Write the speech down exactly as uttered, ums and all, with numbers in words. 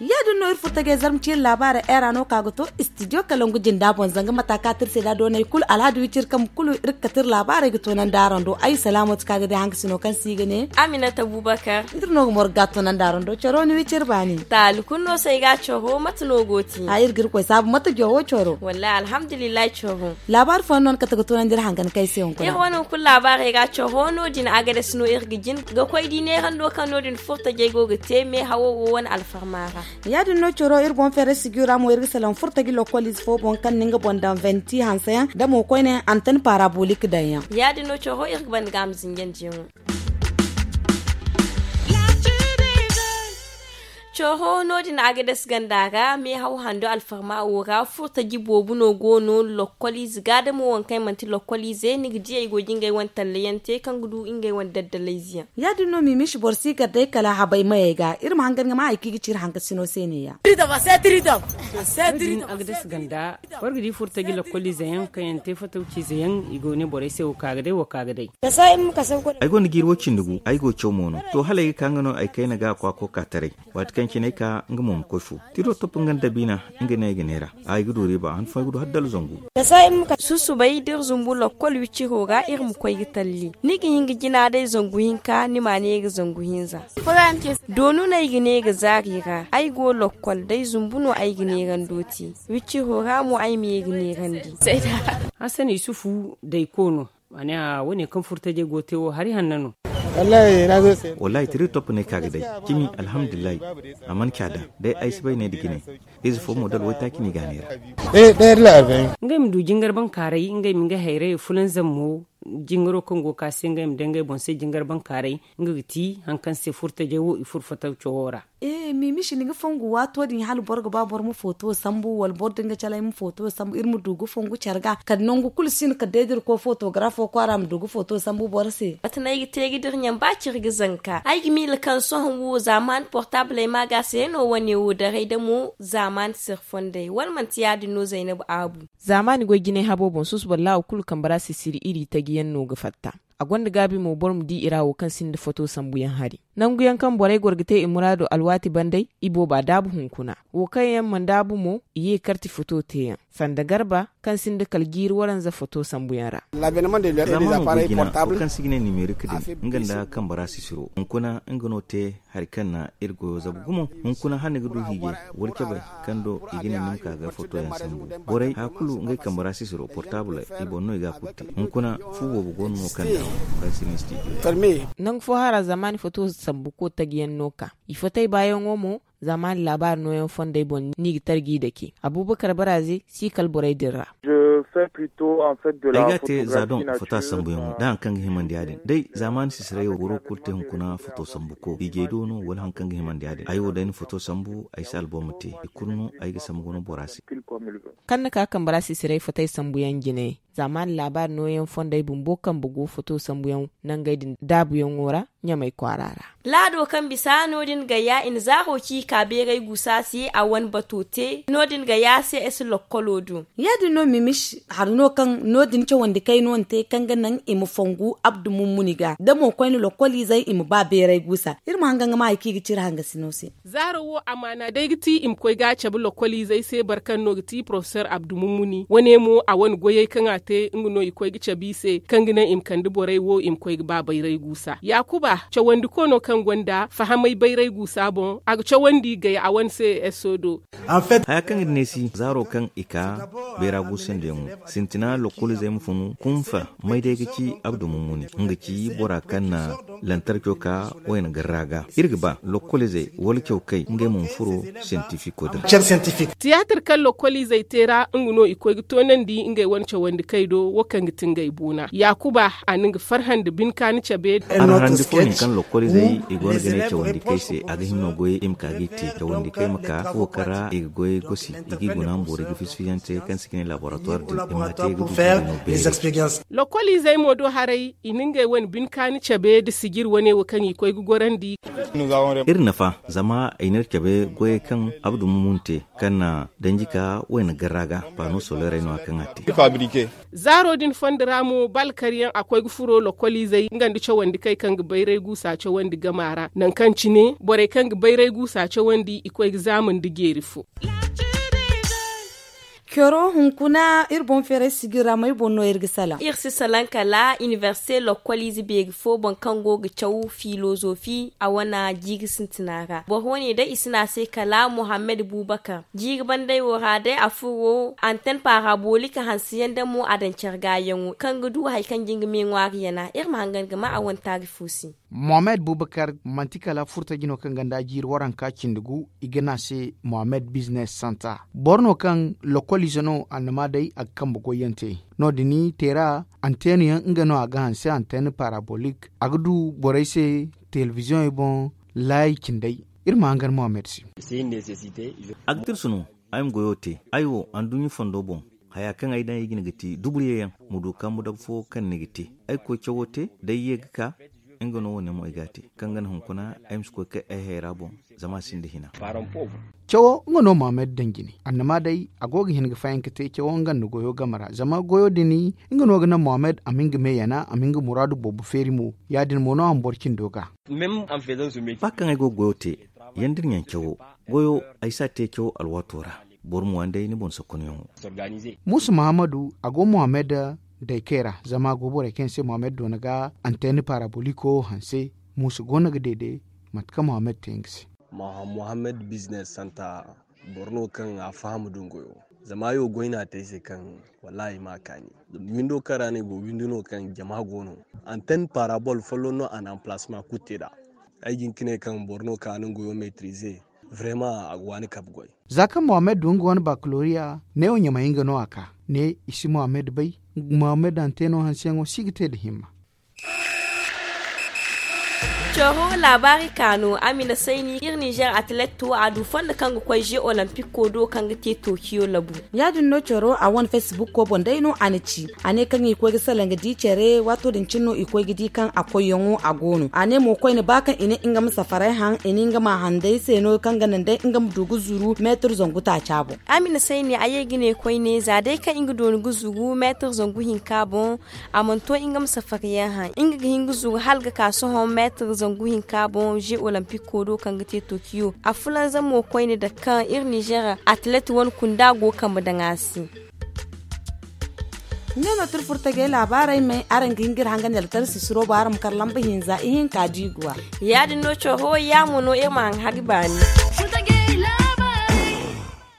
Ya- din no iri furo tajay zarma ciiri laabaarey era no ka ga to. Istidiyo kalangu jinda boŋ zanga mata ka tirse da doonay kulu alhadi wiciri kambe kulu iri ga kate iri laabaarey ga toonandi araŋ do ay salaamo ti ka ga day hankasino kaŋ se i ga ne. Aminata bubakar. Iri no ga morga ga toonandi araŋ do coro ni wiciri baani. Taali kulu no se ay ga coro mate no go ti? A iri ga iri koy saabu mate jowo coro. Wallahi alhamdulillahi coro. Laabaari fooyaŋ no ni kate ga toonandi iri hangan kaŋ ay se hunkuna iri wane hunkuna laabaarey ga coro no- din agades no iri ga jin ga koy di neerando kaŋ no- din furo tajay go ga te meehawo wo wane alfarma ra. Ya- din no coro iri boŋ feeray sijira mo iri ga salaŋ furo taji lokkol ize fo boŋ kaŋ na nga boŋ daŋ venti hanseyaŋ da mo koyne antan parabolik daŋ yaŋ. Ya- din no coro iri ga banda ga a ma zinjandi yaŋo. Coro no- din agades ganda ra meehaw hando alfarma wo ra furo taji boobo no go no lokkol ize ga da mo waŋ kaŋ ay manti lokkol ize ni ga di ay go ga ngey wane tallayaŋ te kaŋ ga du ngey wane daddalayze yaŋ. Ya- din no mimisi boro si gar day kala habay mayey ga iri ma hangan ga ma hari kaŋ i ga ci iri hankasino se ne- ya. Din agades ganda boro ga di furo taji lokkol ize yaŋ kaŋ yaŋ te fataw ciize yaŋ i go ne borey se wo ka ga day wo ka ga day. Ay gonda jiiri wo cindi gu ay go caw mo no to hala ay ga ka nga no ay kayna ga a kwaako ka taray. Waati kaŋ cine ay ka nga mo ma koy fu tiro top nga nda biina nga ne ay ga neera. Ay ga du riiba han fooyaŋ ay ga du har dala zangu. Susubay da iri zumbu lokkol wiciro ra iri ma koy ga talli ni ga hin ga jina day zangu hinka ni ma neera zangu hinza. Doonu no ay ga neera zaari ra ay go lokkol day zumbu no ay ga neerando te. Wiciro ra mo ay ma ye ga neerandi. Hassan yusufu dayko no. A ne a wane kaŋ furo tajay go te wo hari hanno no. Wallahi tiri topp ne ka ga day cimi alhamdulillahi. A mana ca da day ay si bay ne da jine. Ize fo model waytaaci no i ga a neera. Ngey ma du jingar bankaaray ngey ma nga hayray fulanzam mo. Jingaro kaŋ go ka se ngey ma day ngey boŋ se jingar bankaaray nga ga ti hari kaŋ se furo tajay wo i furo fataw cawo ra. Mimisi ni ga fongu waato din hala boro ga ba boro ma foto sambu wala boro din ga calay ma foto sambu iri ma du ga fongu care ga kala nangu kulu si no kala day da iri koy fotografo kwaara ma du ga foto sambu boro se. Mate no ay ga te ga dira ɲaŋ ba ciri ga zanka ay ga miila kaŋ sohõ wo zaamaani portable ay ma ga se no wane wo daray da mo zaamaani siri fondey wala manti ya- din no zaynabu aabu. Zaamaani goy jinay habo boŋ susuba laawo kulu kambe ra sisiri iri taji yaŋ no ga fatta. A gonda gaabi mo boro ma di i ra wo kaŋ sinda foto sambuyaŋ hari nangu yaŋ kaŋ borey goro ga te i muraado alwaati bandey i booba daabu hunkuna. Wo kaŋ yaŋ mana daabu mo i ye karti foto teeyaŋ sanda garba kaŋ sinda kala jiiri waranza foto sambuyaŋ ra. Zaamaano go jina wo kaŋ se i ga ne nimerik din nga nda kambe ra sisiro hunkuna nga no te hari kaŋ na iri goyo zabu gumo. Hunkuna hala ni ga du hiijay wala cabe kaŋ do i ga ne ni ma ka ga fotoyaŋ sambu. Borey haya kulu ngey kambe ra sisiro portable i boŋ no i ga a kulu te. Hunkuna fu boobo go no no kaŋ daŋ kaŋ si ne studio. Nangu fo hara zaamaani foto sambu ko taji yaŋ no ka i fotey baayaŋo mo. Zaamaani laabaari nooyaŋ fondey boŋ no i ga tarji dake abubakar baraaze si kala borey din ra. Ay ga a te za doŋ foto sambuyaŋo da hari kaŋ ga himandi ya- din day zaamaani sisiray wo boro kulu te hunkuna foto sambuko hiijay do no wala hari kaŋ ga himandi ya- din ay wo day na foto sambu ay si albom te i kulu no ay ga sambu guna bora se. Kaŋ na ka kambe ra sisiray fotey sambuyaŋ jine zaamaani laabaari nooyaŋ fondey bumbo kambe go foto sambuyaŋ nangey din daabuyaŋo ra ɲamay kwaara ra. Laado kaŋ bisa no- din ga ya i na zaaro ci ka beeray guusa se a wane bato te no- din ga ya se ese lokkolo do. Ya- din no mimis hari no kaŋ no- din cawandi kayno ni te kaŋ ga naŋ i ma fongu abdu mummuni ga da mo koyne lokkoliizey i ma ba beeray guusa. Iri ma hangan ga ma hari kaŋ i ga ci iri hangasino se. Zaaro wo amaana day ga ti i ma koy ga a cabe lokkoliizey se boro kaŋ no ga ti porofesor abdu mummuni wane mo a wane goyey kaŋ a te nga no i koy ga cabe i se kaŋ ga naŋ i ma kande borey wo i ma koy ga ba bayray guusa yaakuba cawandiko no kaŋ gonda fahamay bayray guusa boŋ a ga cawandi gay a wane se esso do. Haya kaŋ ga ne si zaaro kaŋ i ka bayra guusa nda yaŋo sintina lokkoliizey ma funu kunfa may day ga ci abdu mummuni nga ci bora kaŋ na lantarco ka wayna garra ga iri ga ba lokkoliizey wala caw kay ngey ma ma furo siyantifiko din. Tiyaatir kaŋ lokkoliizey te ra nga no i koy ga toonandi ngey wane cawandi. Tey do wo kaŋ ga ti ngey boona yaakuba a na nga farhandi bine kaani cabe. Araŋ harandi fo ne kaŋ lokoliizey i go no ga ne cawandi kay se a ga hima no goyey i ma ka ga i te cawandi kay ma ka fuwo kaŋ ra i ga goyey gosi i g'i guna ma boori ga fisi-fizante kaŋ se ga ne laboratoir din i ma a te ga du ga du no beeri. Lokoliizey mo do haray i na ngey wane bine kaani cabe nda sijir wane wo kaŋ i koy ga gorandi. Iri nafa zama i na iri cabe goyey kaŋ abdu mumun te kaŋ na danji ka wayna garra ga paano soleerey no- ya kaŋ a te. Zaaro din fondo ra mo balkar yaŋ a koy ga furo lokoliizey nga nda cawandi kay kaŋ ga bayray guusa cawandi gama ra nangu kaŋ cine borey kaŋ ga bayray guusa cawandi i koy ga zaama nda jeeri fo. Coro hunkuna iri boŋ feeray sijir ra may boŋ no iri ga salaŋ? Iri si salaŋ kala inibersite lokoliize beeri fo boŋ kaŋ go ga caw filozofi a wane jiiri sintina ra boro wane day i si ne a se kala muhammad bubakar. Jiiri banday wo ra day a furo anten parabolik hanse yaŋ da mo a daŋ care gaayaŋo kaŋ ga du hari kaŋ ga nga me ŋwaari yana iri ma hangan ga ma a wane taari fo se. Mohammed bubakar manti kala furtaji no kaŋ ganda jiiri waranka cindi gu i ga ne a se mohammed biznes santa. Boro no kaŋ lokolize no annama day a ga kambe goyyaŋ te. No- din teera anteena yaŋ nga no a ga hanse anteena parabolik a ga du borey se telebiziyoŋey boŋ laayi cindey. Iri ma hangan mohammed se. A ga tirsu no ay ma goyo te ay wo anduɲɲa fondo boŋ haya kaŋ ay daŋ ay jine ga te duburye yaŋ ma du kambu dabu fo kaŋ ni ga te. Ay ga koy cawo te da ay ye ga ka nga no wo ne mo ay ga a te kaŋ ga naŋ hunkuna ay ma si koy kay ay hayra boŋ. Zama a sinda hina. Cawo nga no mohammed daŋ jine annama day a go ga hin ga fayanka te cawo nga nda goyo game ra zama goyo din nga no ga naŋ mohammed a ma nga me yana a ma nga muraadu boobo feeri mo. Ya- din mo no a ma boro cindo ga. Ba kaŋ ay go ga goyo te yandira ɲaŋ cawo goyo ay si a te cawo alwaato ra. Boro mo yaŋ day ni boŋ sokkonayaŋo. Muusa muhammadu a go muhammad daykey ra zama a go borey kaŋ yaŋ se muhammad doona ga anteena paraboliko hanse. Muusa go no ga deede mate kaŋ muhammad te nga se. Muhammad biznes santa boro no kaŋ a faham dungoyo. Zama ay wo goy no a te ay se kaŋ wallaahi ay ma a kaani. Windo kaŋ ra no ay go windo no kaŋ jama go no. Anten parabol folloŋ no a na anpalasma kulu te nd'a. Ay ga hin ga ne kaŋ boro no kaŋ a na nga goyo metrize. Vrema a ga waani kabe goy. Za kaŋ mohammed du nga wane bakaloriya neewo ɲamay nga no a ka ne i si mohammed bay. Mohammed a na te no hanseyaŋo si ga te nda himma. Coro laabaari ka no a ma i na sayni iri nizer atilet wo a du fondo kaŋ ga koy ze olampico do kaŋ ga te tokiyo labu. Ya- din no coro a wane facebook ko boŋ day no a na ci. A ne kaŋ i koy ga salaŋ ga di care waato din cine no i koy ga di kaŋ a koyyaŋo a go no a ne mo koyne ba kaŋ i ne nga ma safaray haŋ i ne nga ma handay se no kaŋ ga naŋ day nga ma du ga zuru meetir zangu taaca boŋ. A ma i na sayni a ye ga ne koyne za day kaŋ nga dooni ga zuru meetir zangu hinka boŋ. A mana to nga ma safari yaŋ haŋ nga ga hin ga zuru hala ga ka sohõ meetir zangu hinka boŋ ze olampico do kaŋ ga te tokiyo a fulanza mo koyne da kaŋ iri nizer atilet wane kunda go kambe daŋ a se. Ne no tira furtajey laabaarey me araŋ ga hin ga iri hangan da alkar sisiro ba araŋ ma kar lamba hinza ihinka da i guwa. Ya- din no coro ya mo no iri ma haŋ hari baani.